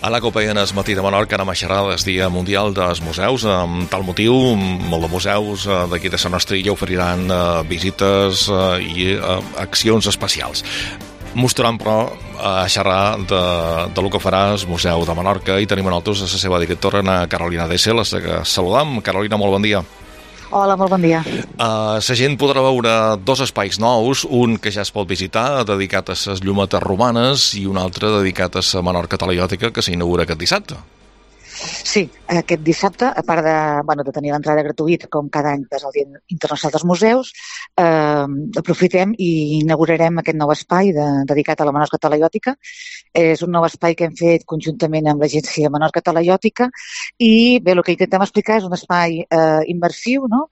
A la Copa es matí de Menorca anem a xerrar del Dia Mundial dels Museus. Amb tal motiu, molt de museus d'aquí de la nostra illa oferiran visites i accions especials. Mostrant, però, a xerrar de lo que farà el Museu de Menorca i tenim a nosaltres la seva directora, Carolina Dessel, a la que saludam. Carolina, molt bon dia. Hola, molt bon dia. La gent podrà veure dos espais nous, un que ja es pot visitar, dedicat a les llumetes romanes, i un altre dedicat a la Menorca talaiòtica, que s'inaugura aquest dissabte. Sí, aquest dissabte, a part de tenir l'entrada gratuïta, com cada any, que és el Dia Internacional dels Museus, aprofitem i inaugurarem aquest nou espai dedicat a la Menorca talaiòtica. És un nou espai que hem fet conjuntament amb l'Agència Menorca Talaiòtica i bé, el que intentem explicar és un espai immersiu, no?,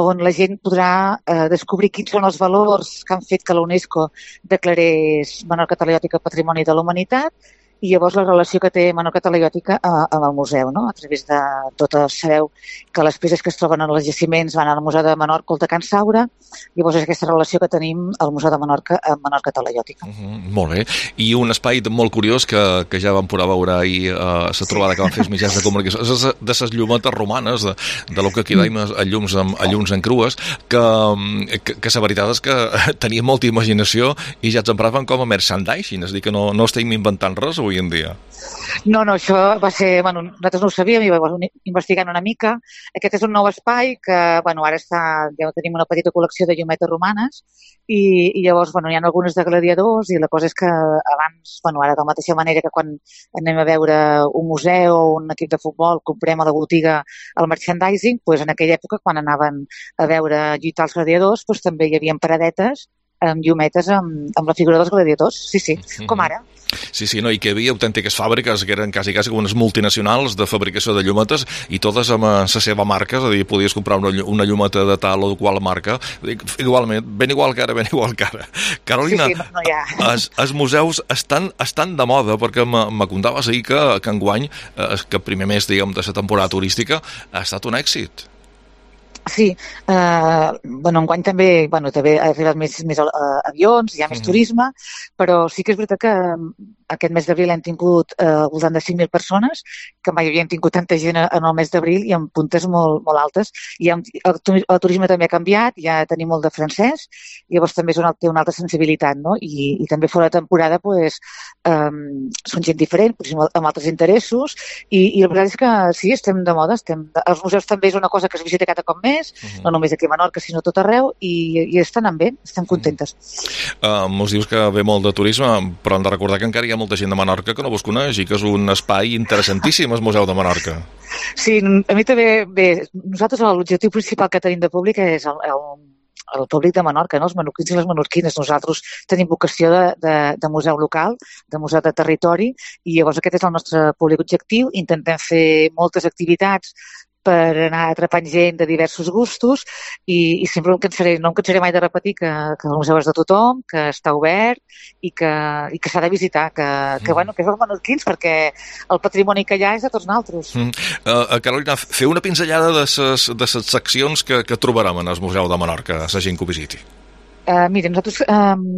on la gent podrà descobrir quins són els valors que han fet que la UNESCO declarés Menorca talaiòtica Patrimoni de la Humanitat i llavors la relació que té Menorca talaiòtica amb el museu, no? A través de totes, sabeu que les peces que es troben en els jaciments van al Museu de Menorca o de Can Saura, llavors és aquesta relació que tenim al Museu de Menorca amb Menorca talaiòtica. Molt bé. I un espai molt curiós que ja vam poder veure ahir la trobada que van fer els mitjans de comunicació, és de les llumetes romanes, de lo que aquí deim a llums en crues, que la veritat és que tenia molta imaginació i ja ens empraven com a merchandising, és a dir, que no estem inventant res avui en dia. No, això va ser... nosaltres no ho sabíem i vam investigant una mica. Aquest és un nou espai que, ara ja tenim una petita col·lecció de llumetes romanes i llavors, hi ha algunes de gladiadors i la cosa és que abans, ara de la mateixa manera que quan anem a veure un museu o un equip de futbol, comprem a la botiga el merchandising, doncs en aquella època, quan anaven a veure lluitar els gladiadors, també hi havia paradetes amb llumetes amb la figura dels gladiadors, sí, com ara. Sí, no, i que hi havia autèntiques fàbriques que eren quasi com unes multinacionals de fabricació de llumetes i totes amb la seva marca, és a dir, podies comprar una llumeta de tal o de qual marca, igualment, ben igual que ara. Carolina, els museus estan de moda, perquè me contaves ahir que enguany, que el primer mes, diguem, de la temporada turística, ha estat un èxit. Sí, enguany també ha arribat més avions, hi ha més turisme, però sí que és veritat que aquest mes d'abril hem tingut al voltant de 5.000 persones, que mai havíem tingut tanta gent en el mes d'abril i amb puntes molt altes. I el turisme també ha canviat, ja tenim molt de francès, llavors també té una altra sensibilitat, no? I també fora de temporada són gent diferent, amb altres interessos, i la veritat és que sí, estem de moda. Els museus també és una cosa que es visita cada cop més, no només aquí a Menorca, sinó tot arreu, i estan bé, estem contentes. Mos dius que ve molt de turisme, però hem de recordar que encara hi ha molta gent de Menorca que no vos coneix i que és un espai interessantíssim, el Museu de Menorca. Sí, a mi també, nosaltres l'objectiu principal que tenim de públic és el públic de Menorca, no? Els menorquins i les menorquines. Nosaltres tenim vocació de museu local, de museu de territori, i llavors aquest és el nostre públic objectiu. Intentem fer moltes activitats per anar atrapant gent de diversos gustos i sempre no em cansaré mai de repetir que el museu és de tothom, que està obert i que s'ha de visitar, que és els menorquins, perquè el patrimoni que hi ha és de tots nosaltres. Carolina, fer una pinzellada de les seccions que trobarem en el Museu de Menorca, a la gent que ho visiti. Mira, nosaltres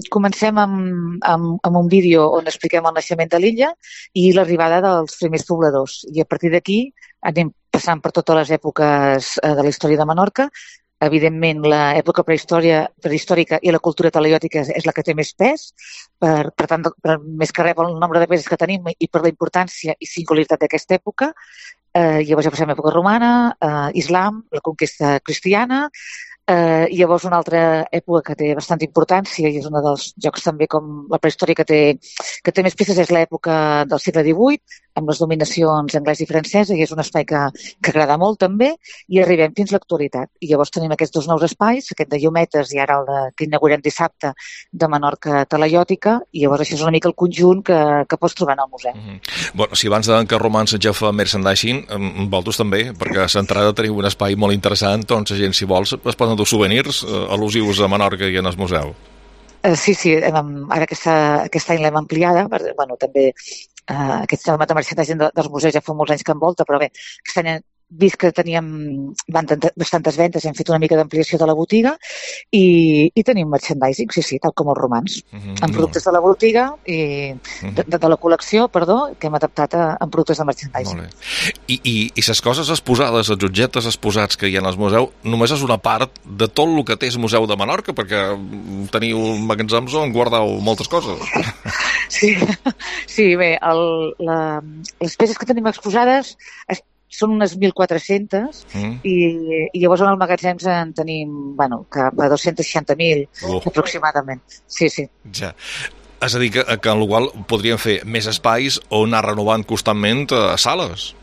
comencem amb un vídeo on expliquem el naixement de l'illa i l'arribada dels primers pobladors. I a partir d'aquí anem passant per totes les èpoques de la història de Menorca. Evidentment, l'època prehistòrica i la cultura talaiòtica és la que té més pes, per tant, més que res pel nombre de peces que tenim i per la importància i singularitat d'aquesta època. Llavors ja passem a l'època romana, islam, la conquesta cristiana, i llavors una altra època que té bastanta importància i és un dels jocs també com la prehistòria que té més peces és l'època del segle XVIII, amb les dominacions anglès i francesa, i és un espai que agrada molt també, i arribem fins a l'actualitat. I llavors tenim aquests dos nous espais, aquest de llumetes i ara el que inaugurem dissabte de Menorca talaiòtica, i llavors això és una mica el conjunt que pots trobar en el museu. Bueno, si abans que Romans ja fa merchandising, vosaltres també, perquè a l'entrada teniu un espai molt interessant, doncs la gent, si vols, es poden dur souvenirs al·lusius a Menorca i en el museu. Sí, ara aquest any l'hem ampliada, també aquest tema de merchandising dels museus ja fa molts anys que envolta, però bé, aquest any vist que teníem bastantes vendes, hem fet una mica d'ampliació de la botiga i tenim merchandising, sí, tal com els romans, amb productes de la botiga i de la col·lecció, perdó, que hem adaptat en productes de merchandising. Molt bé. I les coses exposades, els objectes exposats que hi ha al museu, només és una part de tot el que té el Museu de Menorca, perquè teniu magatzems on guardeu moltes coses. Sí, bé, les peces que tenim exposades són unes 1.400 i llavors en els magatzems en tenim, cap a 260.000 aproximadament. Sí. Ja. És a dir, que en el qual podríem fer més espais o anar renovant constantment sales.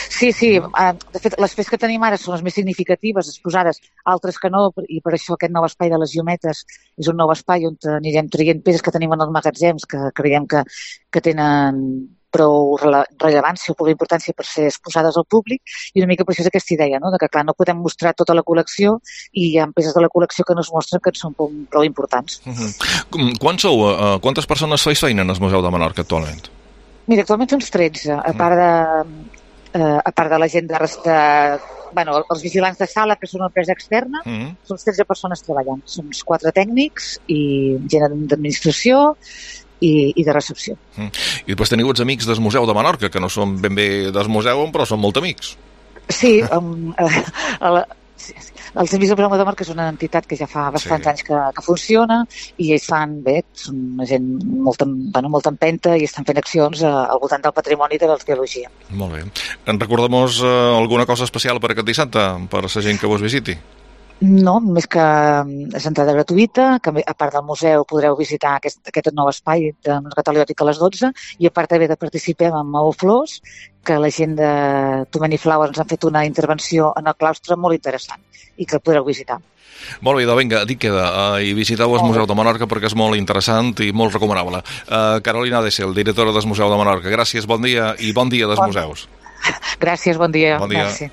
Sí. De fet, les peces que tenim ara són les més significatives, exposades, altres que no, i per això aquest nou espai de les llumetes és un nou espai on anirem traient peces que tenim en els magatzems que creiem que tenen prou rellevància o prou importància per ser exposades al públic, i una mica per això és aquesta idea, no? De que, clar, no podem mostrar tota la col·lecció i hi ha peces de la col·lecció que no es mostren que són prou importants. Quantes persones feis feina en el Museu de Menorca actualment? Mira, actualment som 13, a part de la gent els vigilants de sala, que són una empresa externa, són 13 persones treballant. Som 4 tècnics i gent d'administració i de recepció. I després teniu els amics del Museu de Menorca, que no són ben bé del museu, però són molt amics. Sí, els Amics del Museu de Menorca és una entitat que ja fa bastants anys que funciona i ells fan bé, són una gent molta empenta i estan fent accions al voltant del patrimoni de l'arqueologia. Molt bé. Recordem-nos alguna cosa especial per aquest dissabte, per la gent que vos visiti? No, només que és entrada gratuïta, que a part del museu podreu visitar aquest nou espai de Cataliòtic a les 12 i a part també de participar amb Maó Flors, que la gent de Tomeni Flowers ens han fet una intervenció en el claustre molt interessant i que podreu visitar. Molt bé, vinga, dic queda. I visiteu el Museu de Menorca perquè és molt interessant i molt recomanable. Carolina Dessel, directora del Museu de Menorca. Gràcies, bon dia i bon dia dels museus. Gràcies, bon dia. Bon dia. Merci.